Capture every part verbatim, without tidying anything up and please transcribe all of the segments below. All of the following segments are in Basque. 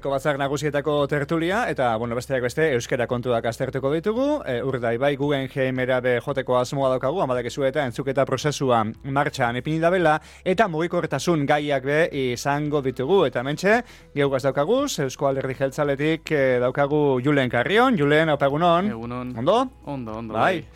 Asteko batzar nagusietako tertulia, eta, bueno, besteak beste, euskara kontuak aztertuko ditugu, e, urdai bai, Guggenheim erabe joteko asmoa daukagu, amadakezu eta entzuketa prozesua martxan ipini dabela, eta mugikortasun gaiak be izango ditugu, eta mentxe, geugaz daukaguz, Eusko Alderdi Jeltzaletik e, daukagu Julen Carrion, Julen, haupa egunon. Egunon. Ondo? Ondo, ondo. Bai.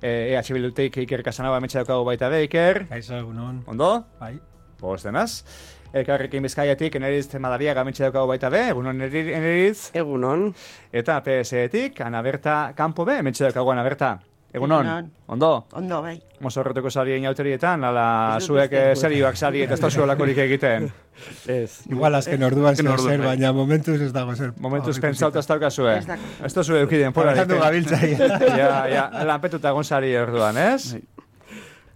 E H Bildutik Iker Casanova mentxe daukagu baita be, Iker. Kaixo, egunon. Ondo? Bai. Boz denaz. Elkarrekin Bizkaiatik Eneriz Madariaga mentxe daukagu baita be, egunon Eneriz. Egunon. Eta P S Etik Ana Berta Campo be, mentxe daukagu Ana Berta. Egunon. Egunon. Ondo? Ondo, bai. Mozorreteko sari inauterietan, ala zuek eh, serioak sari eta ez da zuelakorik egiten. Ez. Igual azken orduan zer orduan, zer, bai. baina momentuz ez dago zer. Momentuz pentsauta ez daukazue. Ez dago. Ez da zue eukiden pora. Horretan du gabiltza. Ja, ja, lanpetuta egon sari orduan, ez?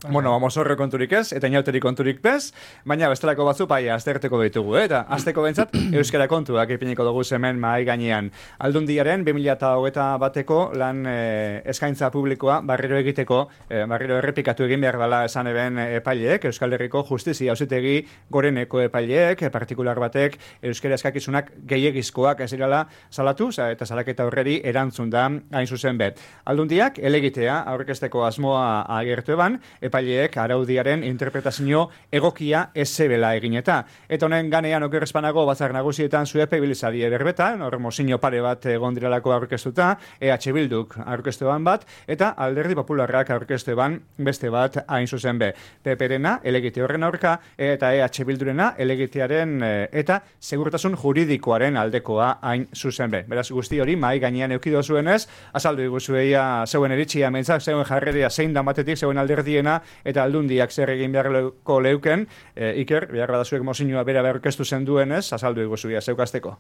Bueno, mozorre konturik ez, eta inauteri konturik bez, baina bestelako batzu paia azterteko ditugu, eh? Eta azteko bentsat, euskara kontuak ipiniko dugu hemen mahai gainean. Aldundiaren bi mila hogeita bateko lan eh, eskaintza publikoa barriro egiteko, eh, barriro errepikatu egin behar dela esan eben epaileek, Euskal Herriko Justizia Auzitegi goreneko epaileek, partikular batek euskara eskakizunak gehiegizkoak ez direla salatu, eta salaketa horreri erantzun da hain zuzen bet. Aldundiak elegitea aurkezteko asmoa agertu eban, epaileek araudiaren interpretazio egokia ezebela egin eta. Eta honen ganean okerrezpanago batzar nagusietan zuepe bilizari berbetan, hor mozino pare bat egon direlako aurkeztuta, E H Bilduk aurkeztu eban bat, eta Alderdi Popularrak aurkeztu eban beste bat hain zuzen be. P P-rena elegite horren aurka, eta E H Bildurena elegitearen eta segurtasun juridikoaren aldekoa hain zuzen be. Beraz guzti hori mai gainean eukido zuenez, azaldu iguzueia zeuen eritxia mentzak, zeuen jarreria zein da batetik, zeuen alderdiena, eta aldundiak zer egin beharko leuken, e, Iker, behar badazuek mozinua bera beharkeztu zen duenez, azaldu iguzuia, zeukazteko.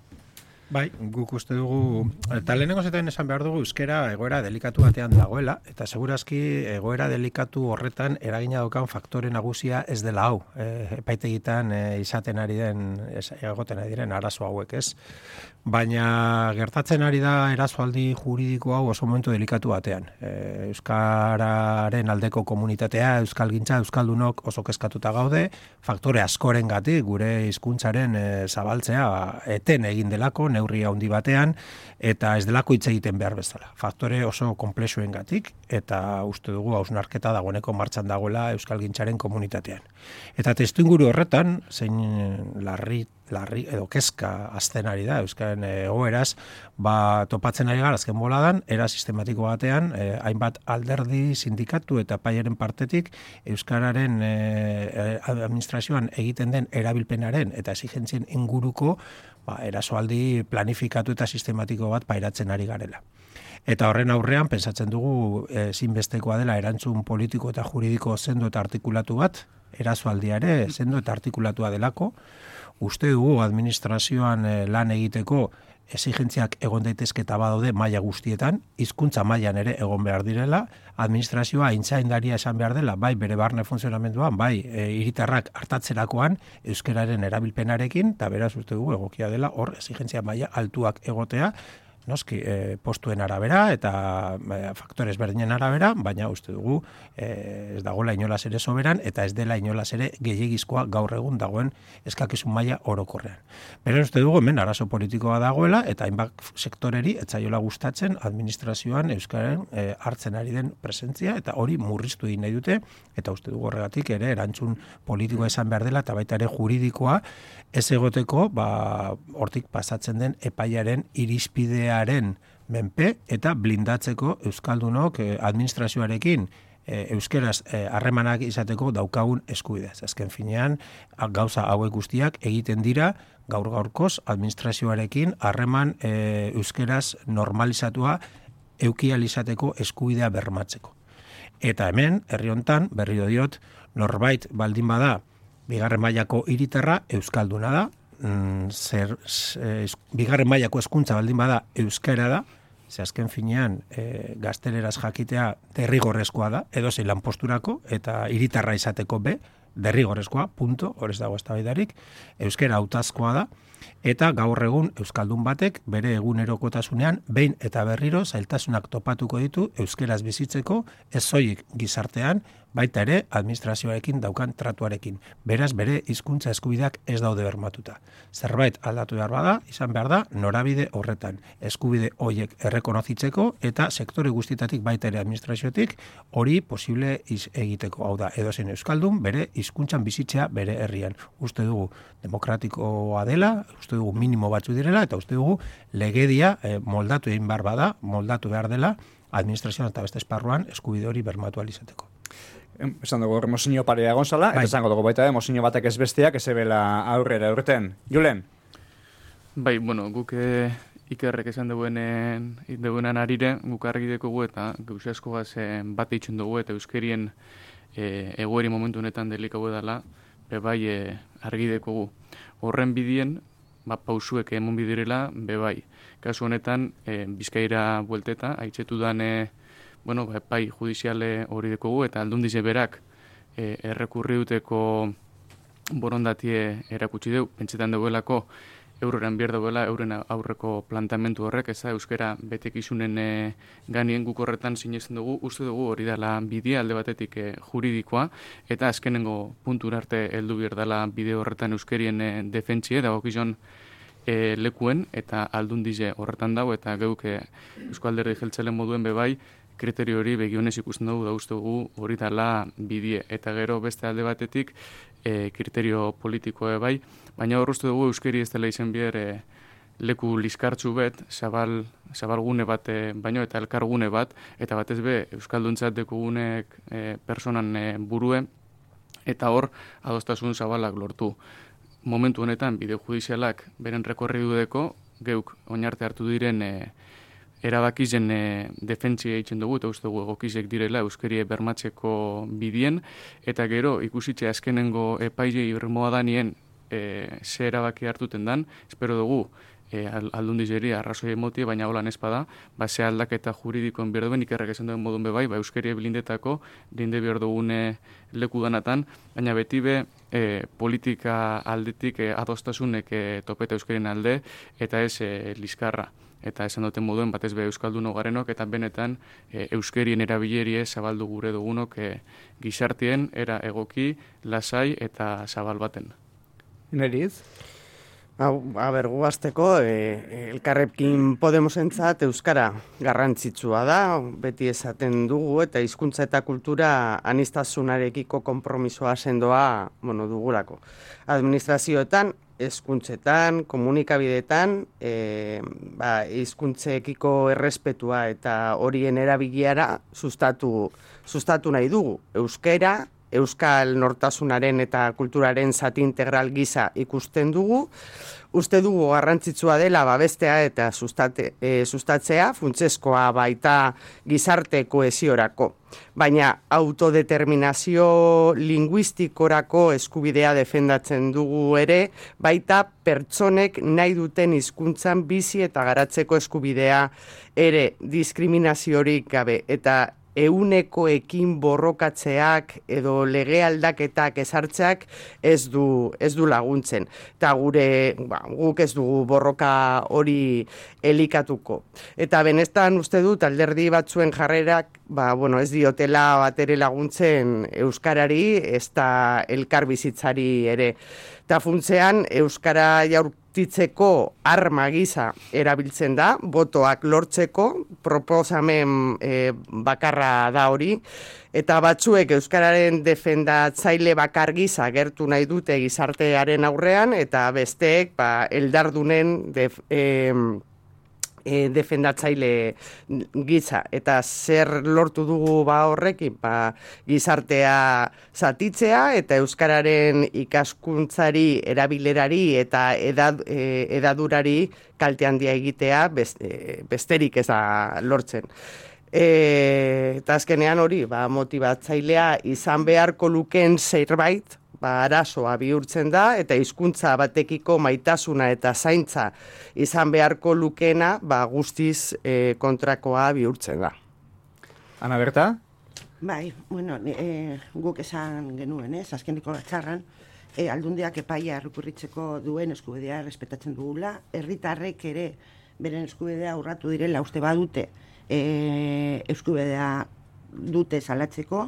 Bai, guk uste dugu, eta lehenengo zetan esan behar dugu euskera egoera delikatu batean dagoela, eta segurazki egoera delikatu horretan eragina daukan faktore nagusia ez dela hau, e, epaitegitan e, izaten ari den, ez, egoten ari diren arazo hauek, ez? Baina gertatzen ari da erasoaldi juridiko hau oso momentu delikatu batean. E, Euskararen aldeko komunitatea, euskalgintza, euskaldunok oso kezkatuta gaude, faktore askorengatik gure hizkuntzaren e, zabaltzea eten egin delako, neurria handi batean, eta ez delako hitz egiten behar bezala. Faktore oso konplexuengatik, eta uste dugu hausnarketa dagoeneko martxan dagoela euskalgintzaren komunitatean. Eta testuinguru horretan, zein larri larri edo kezka azten ari da euskaren egoeraz, ba topatzen ari gara azken boladan era sistematiko batean, eh, hainbat alderdi, sindikatu eta epaiaren partetik euskararen eh, administrazioan egiten den erabilpenaren eta exigentzien inguruko ba erasoaldi planifikatu eta sistematiko bat pairatzen ari garela. Eta horren aurrean pentsatzen dugu ezinbestekoa dela erantzun politiko eta juridiko sendo eta artikulatu bat, erasoaldia ere sendo eta artikulatua delako. Uste dugu administrazioan lan egiteko exigentziak egon daitezketa badaude maila guztietan, hizkuntza mailan ere egon behar direla, administrazioa aintzaindaria esan behar dela, bai bere barne funtzionamenduan, bai e, hiritarrak hartatzerakoan euskararen erabilpenarekin, eta beraz uste dugu egokia dela hor exigentzia maila altuak egotea, noski, e, postuen arabera eta e, faktores berdinen arabera, baina uste dugu e, ez dagoela inolaz ere soberan eta ez dela inolaz ere gehiegizkoa gaur egun dagoen eskakizun maila orokorrean. Beraz uste dugu hemen arazo politikoa dagoela eta hainbat sektoreri etzaiola gustatzen administrazioan euskaren e, hartzen ari den presentzia eta hori murriztu egin nahi dute eta uste dugu horregatik ere erantzun politikoa izan behar dela eta baita ere juridikoa ez egoteko ba hortik pasatzen den epaiaren irizpidea menpe eta blindatzeko euskaldunok administrazioarekin euskeraz harremanak izateko daukagun eskubidea. Azken finean gauza hauek guztiak egiten dira gaur gaurkoz administrazioarekin harreman euskeraz normalizatua eukial izateko eskubidea bermatzeko. Eta hemen herri hontan berriro diot norbait baldin bada bigarren mailako hiritarra euskalduna da. Zer, eh, bigarren mailako hezkuntza baldin bada euskara da, ze azken finean e, gazteleraz jakitea derrigorrezkoa da, edozein lanposturako eta hiritarra izateko be, derrigorrezkoa, punto, hor ez dago eztabaidarik, euskara hautazkoa da, eta gaur egun euskaldun batek bere egunerokotasunean behin eta berriro zailtasunak topatuko ditu euskeraz bizitzeko, ez soilik gizartean, baita ere administrazioarekin daukan tratuarekin. Beraz, bere hizkuntza eskubideak ez daude bermatuta. Zerbait aldatu behar bada, izan behar da, norabide horretan. Eskubide horiek errekonozitzeko eta sektore guztietatik baita ere administrazioetik hori posible iz egiteko. Hau da, edozein euskaldun bere hizkuntzan bizitzea bere herrian. Uste dugu demokratikoa dela, uste dugu minimo batzu direla eta uste dugu legedia eh, moldatu egin behar bada, moldatu behar dela administrazioan eta beste esparruan eskubide hori bermatu ahal izateko. Esan dugu, mozino parea egon zala, eta esango dugu baita, mozino batek ez besteak, ez ebela aurrera urten. Julen? Bai, bueno, guk e, ikerrek esan duguenen, duguenan arire, guk argi dekogu eta gauze asko gaz e, bat eitzen dugu eta euskerien e, egoeri momentu honetan delikago edala, be bai e, argi dekogu. Horren bidien, ba, pausuek emon bidirela, be bai. Kasu honetan, e, Bizkaira buelteta, haitzetu dan, e, bueno, ba, bai judiziale hori dekogu eta aldundize berak e, errekurri duteko borondatie erakutsi deu, pentsetan duelako euroren bier dauela, euren aurreko plantamentu horrek, ez da, euskera betekizunen e, ganien guk horretan sinesten dugu, uste dugu hori dela bidea alde batetik e, juridikoa, eta azkenengo puntura arte heldu bier dela bide horretan euskerien e, defentsie, dago gizon e, lekuen, eta aldundize horretan dago, eta geuk e, Eusko Alderdi Jeltzalen moduen bebai, kriterio hori begionez ikusten dugu, da uste dugu hori dela bidie, eta gero beste alde batetik e, kriterio politikoa bai, baina hor uste dugu euskeri ez dela izen bier e, leku liskartzu bet, zabal, zabalgune bat e, baino eta elkargune bat, eta batez be euskalduntzat dekugunek e, personan e, burue, eta hor adostasun zabalak lortu. Momentu honetan bide judizialak beren rekorri dudeko, geuk oinarte hartu diren e, erabakizen e, defentsia eitzen dugu, eta uste dugu egokizek direla euskerie bermatzeko bidien, eta gero ikusitxe azkenengo epaile irmoa danien e, ze erabaki hartuten dan, espero dugu e, aldundizeri arrazoi emotie, baina holan espada, ba, ze aldaketa juridikoen behar duen, ikerrak esan duen modun bebai, ba, euskerie blindetako, blinde behar dugune leku danatan, baina beti be, e, politika aldetik e, adostasunek e, topeta euskerien alde, eta ez e, liskarra. Eta esan duten moduen batez be euskaldun garenok eta benetan e, euskerien erabilerie zabaldu gure dugunok e, gizartien era egoki, lasai eta zabal baten. Neriz? A ber, guazteko, e, elkarrekin Podemosentzat euskara garrantzitsua da, beti esaten dugu eta hizkuntza eta kultura aniztasunarekiko konpromisoa sendoa, bueno, dugulako. Administrazioetan, hezkuntzetan, komunikabideetan, e, ba, hizkuntzekiko errespetua eta horien erabiliara sustatu, sustatu nahi dugu. Euskera, euskal nortasunaren eta kulturaren zati integral gisa ikusten dugu, uste dugu garrantzitsua dela babestea eta sustate, e, sustatzea, funtsezkoa baita gizarte kohesiorako. Baina autodeterminazio linguistikorako eskubidea defendatzen dugu ere, baita pertsonek nahi duten hizkuntzan bizi eta garatzeko eskubidea ere diskriminaziorik gabe eta eunekoekin borrokatzeak edo lege aldaketak ezartzeak ez du, ez du laguntzen. Eta gure, ba, guk ez dugu borroka hori elikatuko. Eta benestan uste dut alderdi batzuen jarrerak, ba, bueno, ez diotela batere laguntzen euskarari, ez da elkarbizitzari ere. Eta funtzean euskara jaurtitzeko arma gisa erabiltzen da, botoak lortzeko, proposamen e, bakarra da hori, eta batzuek euskararen defendatzaile bakar gisa gertu nahi dute gizartearen aurrean, eta besteek ba, eldardunen def, e, e, defendatzaile gisa. Eta zer lortu dugu ba horrekin, ba, gizartea zatitzea eta euskararen ikaskuntzari, erabilerari eta edad, e, edadurari kalte handia egitea beste, besterik ez da lortzen. E, eta azkenean hori, ba, motibatzailea izan beharko lukeen zerbait, ba, arazoa bihurtzen da, eta hizkuntza batekiko maitasuna eta zaintza izan beharko lukeena, ba, guztiz e, kontrakoa bihurtzen da. Ana Berta? Bai, bueno, e, guk esan genuen, ez, azkeniko batzarran, e, aldundiak epaia errekurritzeko duen eskubidea respetatzen dugula, herritarrek ere beren eskubidea urratu direla uste badute, e, eskubidea dute salatzeko,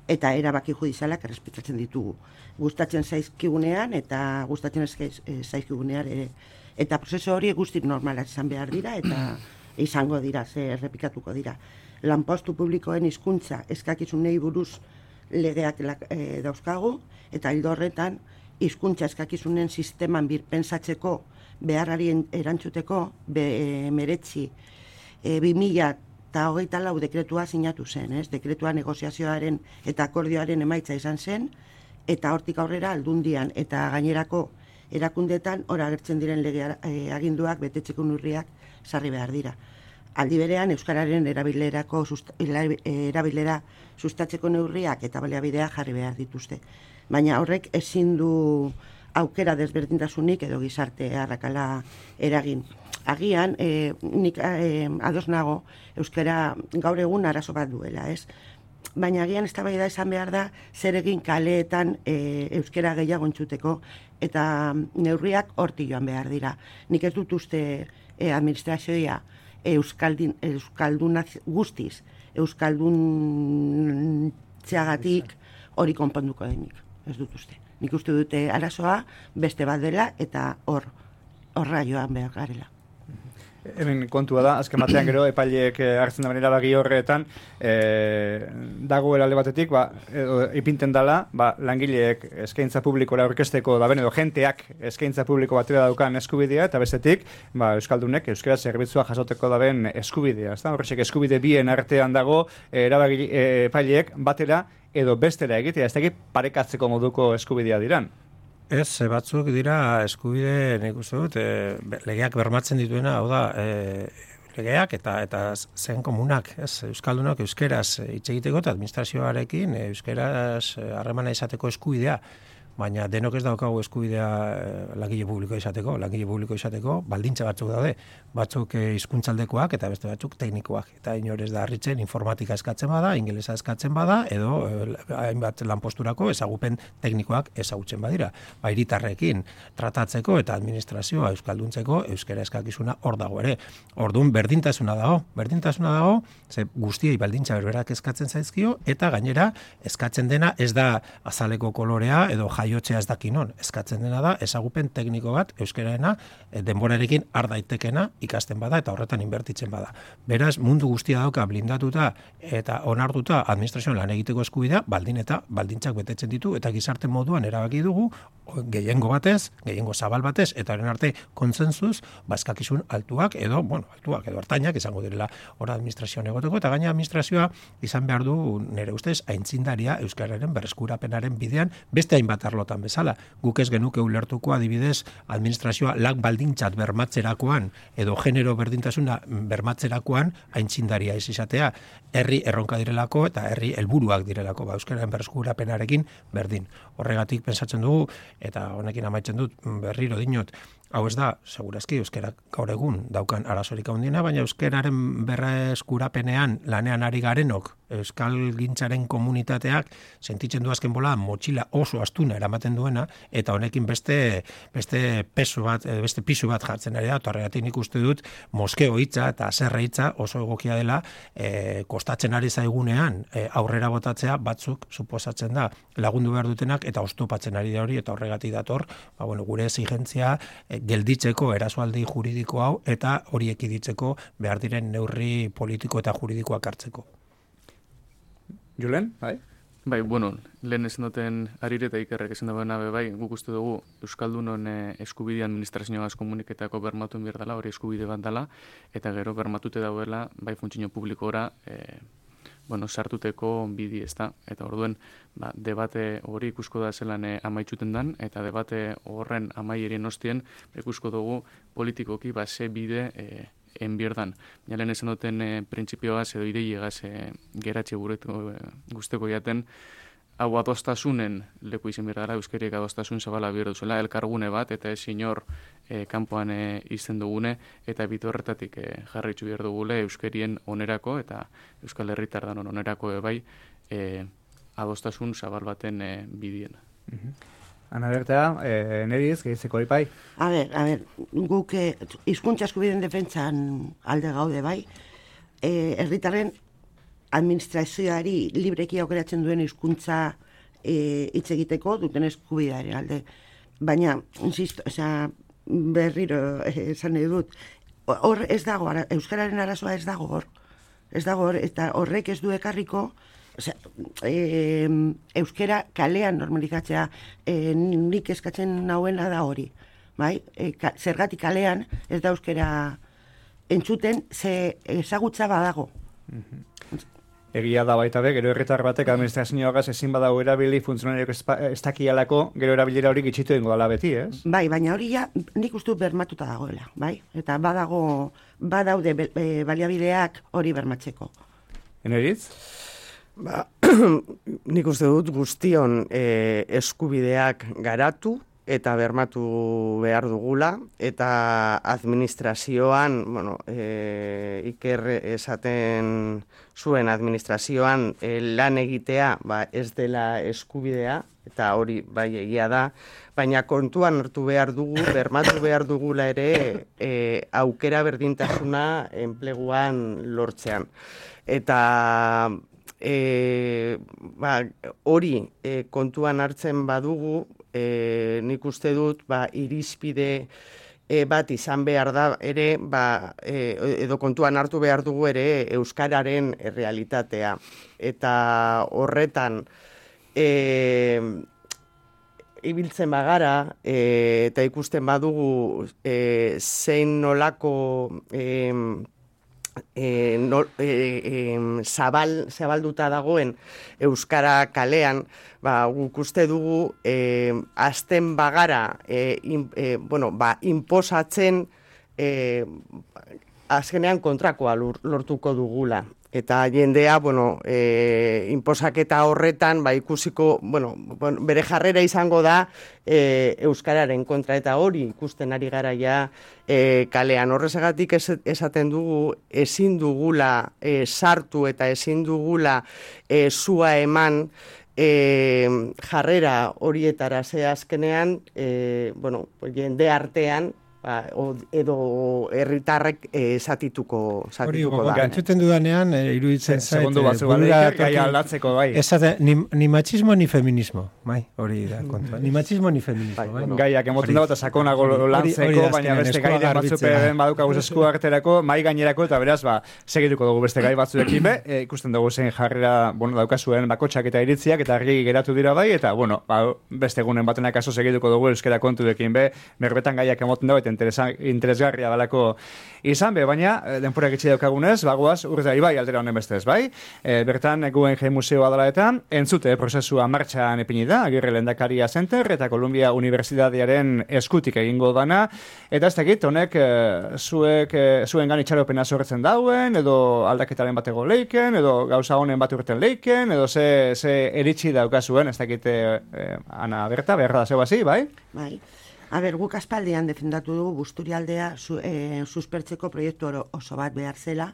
eta erabaki judizialak errespetatzen ditugu. Gustatzen zaizkigunean eta gustatzen zaizkigunean ere. Eta prozesu hori guztik normalak izan behar dira eta izango dira, ze errepikatuko dira. Lanpostu publikoen hizkuntza eskakizunei buruz legeak e, dauzkagu, eta hildo horretan hizkuntza eskakizunen sisteman birpentsatzeko beharrari erantzuteko be, e, meretzi e, bi mila eta hogeita lau dekretua sinatu zen, ez? Dekretua negoziazioaren eta akordioaren emaitza izan zen, eta hortik aurrera aldundian eta gainerako erakundetan ora agertzen diren lege e, aginduak betetzeko neurriak sarri behar dira. Aldi berean, euskararen erabilerako susta, erabilera sustatzeko neurriak eta baliabideak jarri behar dituzte. Baina horrek ezin du aukera desberdintasunik edo gizarte arrakala eragin. Agian, e, nik e, ados nago, euskara gaur egun arazo bat duela, ez? Baina agian eztabaida izan behar da, zer egin kaleetan e, euskara gehiago entzuteko, eta neurriak hortik joan behar dira. Nik ez dut uste e, administrazioa Euskaldun, Euskaldun guztiz, Euskaldun txagatik hori konponduko denik, ez dut uste. Nik uste dute arazoa beste bat dela eta hor, horra joan behar garela. Hemen kontua da, azken batean gero epaileek hartzen da benera bagi horretan e, dagoela alde batetik, ba, edo, ipinten dela, ba, langileek eskaintza publikora aurkezteko da ben, edo jenteak eskaintza publiko batera daukan eskubidea, eta bestetik, ba, euskaldunek euskara zerbitzua jasoteko da ben eskubidea. Horrexek eskubide bien artean dago e, erabagi, e, epaileek batera edo bestera egitea, ez dakit parekatzeko moduko eskubidea diran. Ez, batzuk dira eskubide, nik uste dut, e, legeak bermatzen dituena, hau da, e, legeak eta eta zen komunak, ez, euskaldunak euskeraz hitz egiteko eta administrazioarekin euskeraz harremana izateko eskubidea, baina denok ez daukagu eskubidea langile publiko izateko, langile publiko izateko baldintza batzuk daude, batzuk hizkuntzaldekoak eta beste batzuk teknikoak, eta inor ez da harritzen informatika eskatzen bada, ingelesa eskatzen bada, edo hainbat lanposturako ezagupen teknikoak ezagutzen badira. Ba, hiritarrekin tratatzeko eta administrazioa euskalduntzeko euskara eskakizuna hor dago ere. Orduan berdintasuna dago, berdintasuna dago, ze guztiei baldintza berberak eskatzen zaizkio, eta gainera eskatzen dena ez da azaleko kolorea edo jaiotzea ez dakinon, eskatzen dena da ezagupen tekniko bat euskaraena denborarekin har daitekena ikasten bada eta horretan inbertitzen bada. Beraz, mundu guztia dauka blindatuta eta onartuta administrazioan lan egiteko eskubidea, baldin eta baldintzak betetzen ditu eta gizarte moduan erabaki dugu gehiengo batez, gehiengo zabal batez eta horren arte kontsensuz bazkakizun altuak edo, bueno, altuak edo hartainak izango direla hor administrazioan egoteko eta gaina administrazioa izan behar du nire ustez aintzindaria euskararen berreskurapenaren bidean beste hainbat arlotan bezala. Guk ez genuke ulertuko adibidez administrazioa lan baldintzat bermatzerakoan edo genero berdintasuna bermatzerakoan aintzindaria ez izatea. Herri erronka direlako eta herri helburuak direlako ba euskararen berreskurapenarekin berdin. Horregatik pentsatzen dugu eta honekin amaitzen dut berriro dinot, hau ez da, segurazki euskarak gaur egun daukan arazorik handiena, baina euskararen berreskurapenean lanean ari garenok, euskal gintzaren komunitateak sentitzen du azken bola motxila oso astuna eramaten duena, eta honekin beste beste peso bat, beste pisu bat jartzen ari da, eta horregatik nik uste dut moskeo hitza eta zerre hitza oso egokia dela e, kostatzen ari zaigunean e, aurrera botatzea batzuk suposatzen da lagundu behar dutenak eta oztopatzen ari da hori, eta horregatik dator, ba, bueno, gure exigentzia e, gelditzeko erasoaldi juridiko hau eta hori ekiditzeko behar diren neurri politiko eta juridikoak hartzeko. Julen, bai? Bai, bueno, lehen esan duten Arire eta Ikerrek esan dagoena bai, guk uste dugu Euskaldunon eskubide administrazioaz komuniketako bermatu behar dela, hori eskubide bat dela, eta gero bermatute dauela, bai funtzio publikora, e, bueno, sartuteko bidi ez da. Eta orduen, ba, debate hori ikusko da zelan e, amaitzuten dan, eta debate horren amaierien ostien, ikusko dugu politikoki ba, ze bide e, enbierdan. Jalen esan duten e, printzipioaz edo ideiegaz e, geratxe guretu e, guzteko jaten, hau adostasunen leku izan behar dara, euskariek adostasun zabala behar duzela, elkargune bat, eta ez inor e, kanpoan e, izten dugune, eta bitu horretatik e, jarritxu behar dugule euskarien onerako, eta euskal herritar danon onerako e, bai, e, adostasun zabal baten e, bidien. Mm-hmm. Ana Berta, eh, neriz, gehitzeko ipai? A ber, a ber, guk eh, hizkuntza eskubideen defentsan alde gaude bai, eh, herritarren administrazioari libreki aukeratzen duen hizkuntza e, hitz egiteko duten eskubidearen alde. Baina, insisto, osea, berriro esan nahi dut, hor ez dago, ara, euskararen arazoa ez dago hor. Ez dago hor, eta horrek ez du ekarriko, osea, e, euskara kalean normalizatzea, e, nik eskatzen nauena da hori. Bai? E, ka, zergatik kalean ez da euskara entzuten, ze ezagutza badago. Egia da baita be, gero herritar batek administrazioagaz ezin badago erabili funtzionariok ez dakialako, gero erabilera hori gitxitu dengo dala beti, ez? Bai, baina hori ja, nik uste bermatuta dagoela, bai? Eta badago, badaude e, baliabideak hori bermatzeko. Eneritz? Ba, nik uste dut guztion e, eskubideak garatu eta bermatu behar dugula, eta administrazioan, bueno, e, Iker esaten zuen administrazioan e, lan egitea ba, ez dela eskubidea, eta hori bai egia da, baina kontuan hartu behar dugu, bermatu behar dugula ere e, aukera berdintasuna enpleguan lortzean. Eta e, ba, hori e, kontuan hartzen badugu, E, nik uste dut ba, irizpide e, bat izan behar da ere, ba, e, edo kontuan hartu behar dugu ere euskararen errealitatea. Eta horretan e, ibiltzen bagara e, eta ikusten badugu e, zein nolako e, E, no, e, e, zabal, zabalduta dagoen euskara kalean, ba, guk uste dugu e, azten bagara e, in, e, bueno, ba, inposatzen e, azkenean kontrakoa lortuko dugula. Eta jendea, bueno, e, inposaketa horretan, ba, ikusiko, bueno, bere jarrera izango da e, euskararen kontra, eta hori ikusten ari gara ja e, kalean. Horrezagatik esaten dugu, ezin dugula e, sartu eta ezin dugula e, zua eman e, jarrera horietara, ze azkenean, e, bueno, jende artean, ba, edo herritarrek esatituko zatituko da. Hori, entzuten dudanean, e, iruditzen zait. Segundu batzu badeik, gai aldatzeko, bai. Esate, ni, ni machismo ni feminismo, bai, hori da kontua. Ni machismo ni feminismo, bai. Bueno, gaiak emoten dago eta sakonago lantzeko, baina beste gai batzuperen badukaguz esku arterako, mai gainerako, eta beraz, ba, segituko dugu beste gai batzuekin be, e, ikusten dugu zen jarrera, bueno, daukazuen bakotxak eta iritziak, eta argi geratu dira bai, eta, bueno, ba, beste egunen batenak aso segituko dugu euskera kontuekin be, berbetan gaiak emoten dago, eta interesgarria balako izan be, baina denpora gitsi daukagunez, bagoaz urte bai aldera honen bestez, bai? E, bertan, Guggenheim Museoa dela eta entzute prozesua martxan epini da, Agirre Lehendakaria Center eta Columbia Unibertsitatearen eskutik egingo dana, eta ez dakit, honek e, zuek, e, zuen gan itxaropena zorretzen dauen, edo aldaketaren batego leiken, edo gauza honen bat urten leiken, edo ze, ze eritxi daukazuen, ez dakit, e, Ana Berta, beharra da zeu hasi, bai? Bai. A ber, guk aspaldian defendatu dugu Busturialdea su, e, suspertzeko proiektu oso bat behar zela,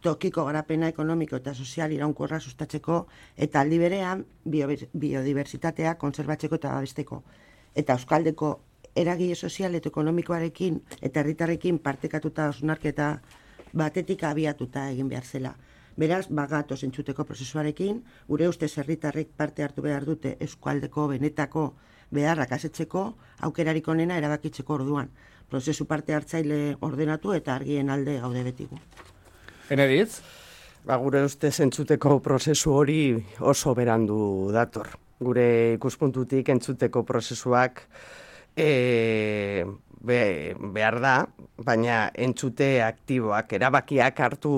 tokiko garapena ekonomiko eta sozial iraunkorra sustatzeko, eta aldi berean biodiversitatea konserbatzeko eta babesteko. Eta euskaldeko eragile sozial eta ekonomikoarekin eta herritarrekin partekatuta osunarketa batetik abiatuta egin behar zela. Beraz, bagatoz entzuteko prozesuarekin, gure ustez herritarrek parte hartu behar dute eskualdeko benetako beharrak asetzeko, aukerarik onena erabakitzeko orduan. Prozesu parte hartzaile ordenatu eta argien alde gaude betigu. Eneritz? Ba, gure ustez entzuteko prozesu hori oso berandu dator. Gure ikuspuntutik entzuteko prozesuak e, be, behar da, baina entzute aktiboak, erabakiak hartu,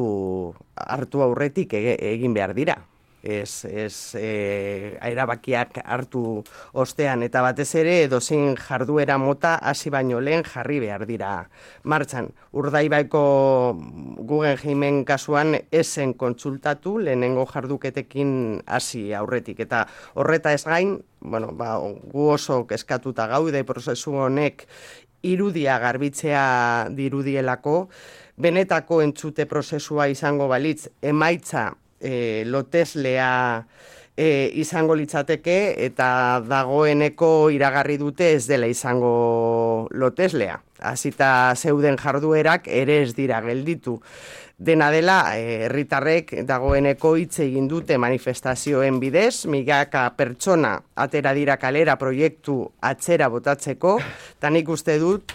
hartu aurretik egin behar dira. Ez, ez e, erabakiak hartu ostean, eta batez ere edozein jarduera mota hasi baino lehen jarri behar dira martxan. Urdaibaiko Guggenheimen kasuan esen kontsultatu lehenengo jarduketekin hasi aurretik, eta horreta ez gain, bueno, ba, gu oso eskatuta gaude prozesu honek irudia garbitzea dirudielako, benetako entzute prozesua izango balitz emaitza E, loteslea e, izango litzateke, eta dagoeneko iragarri dute ez dela izango loteslea. Hasita zeuden jarduerak ere ez dira gelditu. Dena dela, herritarrek dagoeneko hitz egin dute manifestazioen bidez, milaka pertsona atera dira kalera proiektu atzera botatzeko, eta nik uste dut,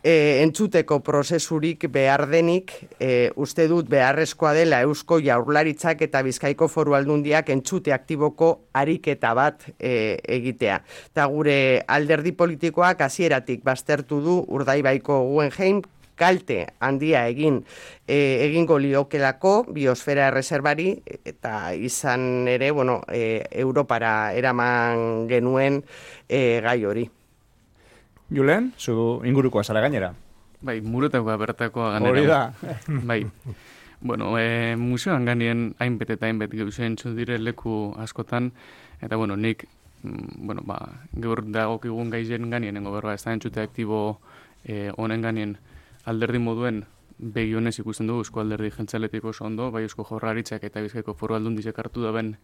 e, entzuteko prozesurik behar denik, e, uste dut beharrezkoa dela Eusko Jaurlaritzak eta Bizkaiko Foru Aldundiak entzute aktiboko ariketa bat e, egitea. Eta gure alderdi politikoak hasieratik baztertu du Urdaibaiko Guggenheim kalte handia egin e, egingo liokelako biosfera erreserbari, eta izan ere, bueno, e, Europara eraman genuen e, gai hori. Julen, zu ingurukoa zara gainera. Bai, muretakoa bertakoa ganera. Hori da. Bai. Bueno, e, museoan ganien hainbet eta hainbet gauza entzu dire leku askotan, eta bueno, nik, mm, bueno, ba, gaur dagokigun gaizen ganienengo berba, ez da entzute aktibo e, honen ganien alderdi moduen begionez ikusten dugu Eusko Alderdi Jeltzaletik oso ondo, bai Eusko Jaurlaritzak eta Bizkaiko Foru Aldundiak hartu daben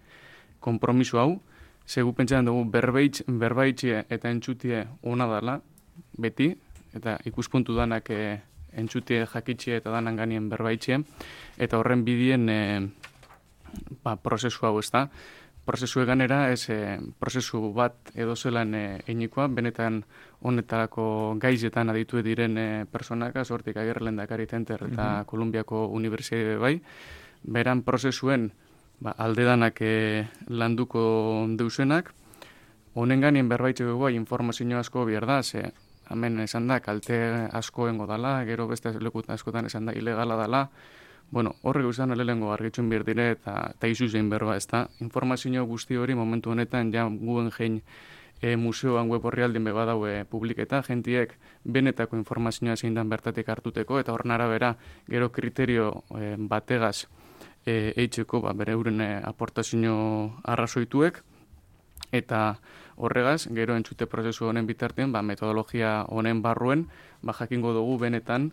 konpromiso hau, segu pentsatzen dugu berbaitz, berbaitxe eta entzutie ona dela, beti, eta ikuspuntu danak e, entzutie jakitxe eta danan ganien berbaitxe, eta horren bidien e, ba, prozesu hau ez da. Prozesu eganera, ez e, prozesu bat edo zelan e, einikoa, benetan honetarako gaizetan aditu diren e, personak, hortik Agirre Lehendakari Center eta mm-hmm. Kolumbiako Unibertsitate bai, beran prozesuen ba, aldedanak e, landuko deusenak, honen ganien berbaitxeko bai informazio asko behar da, ze hemen esan da, kalte asko engo dala, gero beste lekut askotan esan da, ilegala dala. Bueno, horrek uzan lehengo argitxun behar dire eta, eta izu zein berba, ez da. Informazio guzti hori momentu honetan ja Guggenheim e, museoan web horri aldin beba daue publiketa, jentiek benetako informazioa zein dan bertatik hartuteko, eta horren arabera gero kriterio e, bategaz e, eitzeko ba, bere euren e, aportazio arrazoituek, eta horregaz, gero entzute prozesu honen bitartean, ba, metodologia honen barruen, ba, jakingo dugu benetan,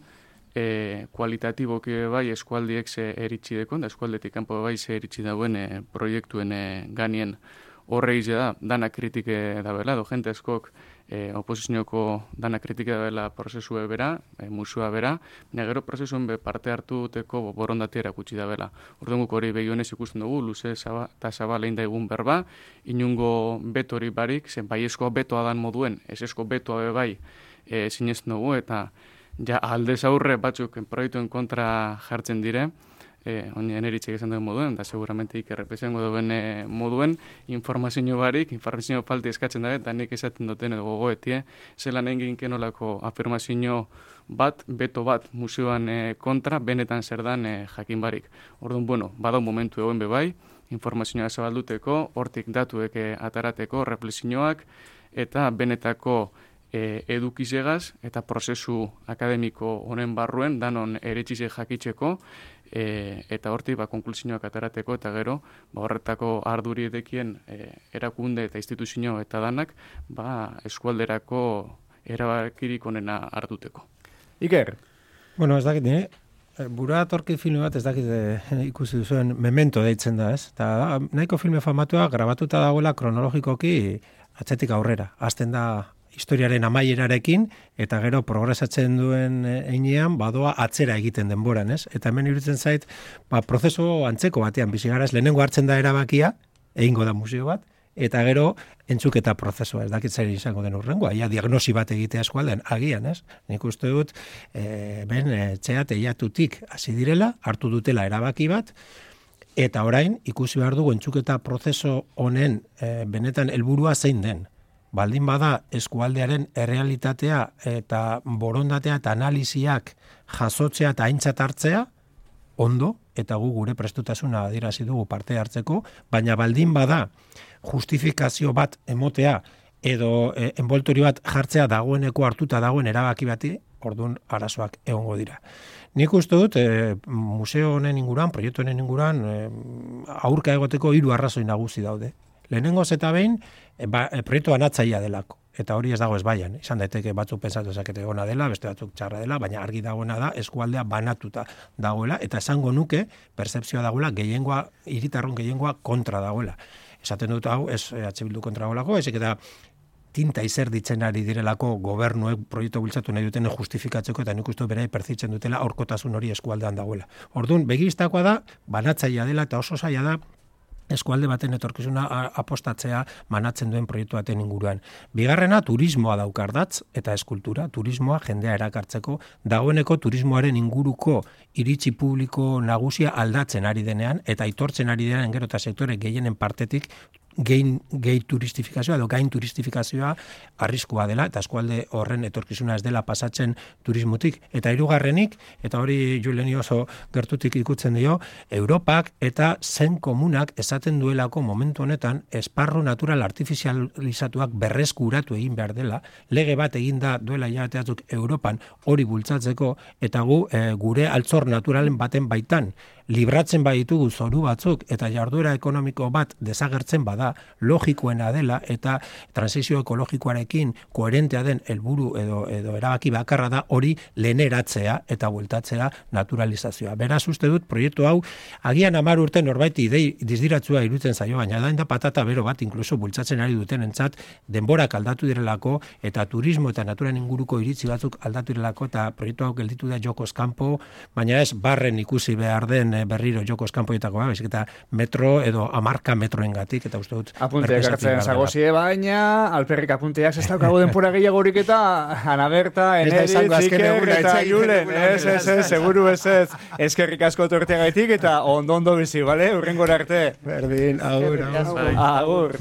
E, kualitatiboki bai eskualdiek ze eritsi dekon, da eskualdetik kanpo bai ze eritsi dauen e, proiektuen e, ganien horre ize da, dana kritike da bela, do jente eskok e, oposizioko dana kritike da bela prozesue bera, e, musua bera, baina gero prozesuen be parte hartuteko borondatea erakutsi da bela. Orduan guk hori begionez ikusten dugu, luze eta zabalein da egun berba, inungo betori barik, zen bai esko betoa dan moduen, ez esko betoa be bai e, sinesten dugu, eta ja aldez aurre batzuk proiektuen kontra jartzen dire, eh, onien eritxek esan duen moduen, da seguramente ikerrepezengo duen eh, moduen, informazio barik, informazio falti eskatzen da, eta nik esaten duten edo gogoetie, zelan egin kenolako afirmazio bat, beto bat museoan eh, kontra, benetan zer dan eh, jakin barik. Orduan, bueno, badau momentu egoen bebai, informazioa zabalduteko, hortik datuek eh, atarateko, reflexioak, eta benetako E, edukizegaz eta prozesu akademiko honen barruen danon eretxize jakitzeko e, eta hortik ba, konklusioak aterateko eta gero ba, horretako arduri edekien e, erakunde eta instituzio eta danak ba, eskualderako erabakirik onena hartuteko. Iker? Bueno, ez dakit, eh? Bura atorki filme bat ez dakit eh, ikusi duzuen Memento deitzen da, ez? Ta, nahiko filme famatua grabatuta dagoela kronologikoki atzetik aurrera. Hasten da historiaren amaierarekin, eta gero progresatzen duen einean, badoa atzera egiten denboran, ez? Eta hemen iruditzen zait, ba, prozesu antzeko batean bizi gara, ez lehenengo hartzen da erabakia, egingo da museo bat, eta gero entzuketa prozesua, ez dakit zer izango den urrengoa, ia diagnosi bat egitea eskualdean, agian, ez? Nik uste dut, e, ben, etxea teiatutik hasi direla, hartu dutela erabaki bat, eta orain, ikusi behar dugu entzuketa prozesu honen e, benetan helburua zein den. Baldin bada eskualdearen errealitatea eta borondatea eta analiziak jasotzea eta aintzat hartzea, ondo, eta gu gure prestutasuna adierazi dugu parte hartzeko, baina baldin bada justifikazio bat emotea edo e, enboltorio bat jartzea dagoeneko hartuta dagoen erabaki bati, orduan arazoak egongo dira. Nik uste dut, e, museo honen inguruan, proiektu honen inguruan, e, aurka egoteko hiru arrazoi nagusi daude. Lehenengoz eta behin, e, ba, e, proiektu anatzaia delako. Eta hori ez dago ez baian. Izan daiteke batzuk pentsatu ezakete ona dela, beste batzuk txarra dela, baina argi dagoena da eskualdea banatuta dagoela, eta esango nuke, pertzepzioa dagoela, gehiengoa, hiritarron gehiengoa kontra dagoela. Esaten dut hau, ez E H Bildu kontra golako, ezik eta tinta izer ditzen ari direlako gobernuek proiektu bultzatu nahi duten justifikatzeko eta nik uste berai perzitzen dutela aurkotasun hori eskualdean dagoela. Orduan, begistakoa da, banatzailea dela eta oso zaila da eskualde baten etorkizuna apostatzea manatzen duen proiektu baten inguruan. Bigarrena, turismoa daukardatz eta eskultura, turismoa jendea erakartzeko, dagoeneko turismoaren inguruko iritzi publiko nagusia aldatzen ari denean eta aitortzen ari denean gero eta sektore gehienen partetik gein, gehi turistifikazioa edo gain turistifikazioa arriskua dela eta eskualde horren etorkizuna ez dela pasatzen turismotik. Eta hirugarrenik, eta hori Juleni oso gertutik ikutzen dio, Europak eta zen komunak esaten duelako momentu honetan esparru natural artifizializatuak berreskuratu egin behar dela, lege bat eginda duela jateatzuk Europan hori bultzatzeko eta gu e, gure altzor naturalen baten baitan libratzen baditugu zoru batzuk eta jarduera ekonomiko bat desagertzen bada, logikoena dela eta transizio ekologikoarekin koherentea den helburu edo edo erabaki bakarra da hori leheneratzea eta bueltatzea naturalizazioa. Beraz uste dut proiektu hau agian hamar urte norbait idei dizdiratzua iruditzen zaio, baina da da patata bero bat inkluso bultzatzen ari dutenentzat denborak aldatu direlako eta turismo eta naturan inguruko iritzi batzuk aldatu direlako eta proiektu hau gelditu da jokoz kanpo, baina ez barren ikusi behar den berriro jokoz kanpoetakoa, baizik eta metro edo hamarka metroengatik eta uste dut apunteak hartzen zagozie, baina alperrik apunteak ez daukago denpora gehiagorik eta Ana Berta, Enedi, Txiker eta Julen, ez, ez, ez, seguru ez ez, eskerrik asko torteagaitik eta ondo ondo bizi, bale? Urrengora arte. Berdin, agur, agur. Agur.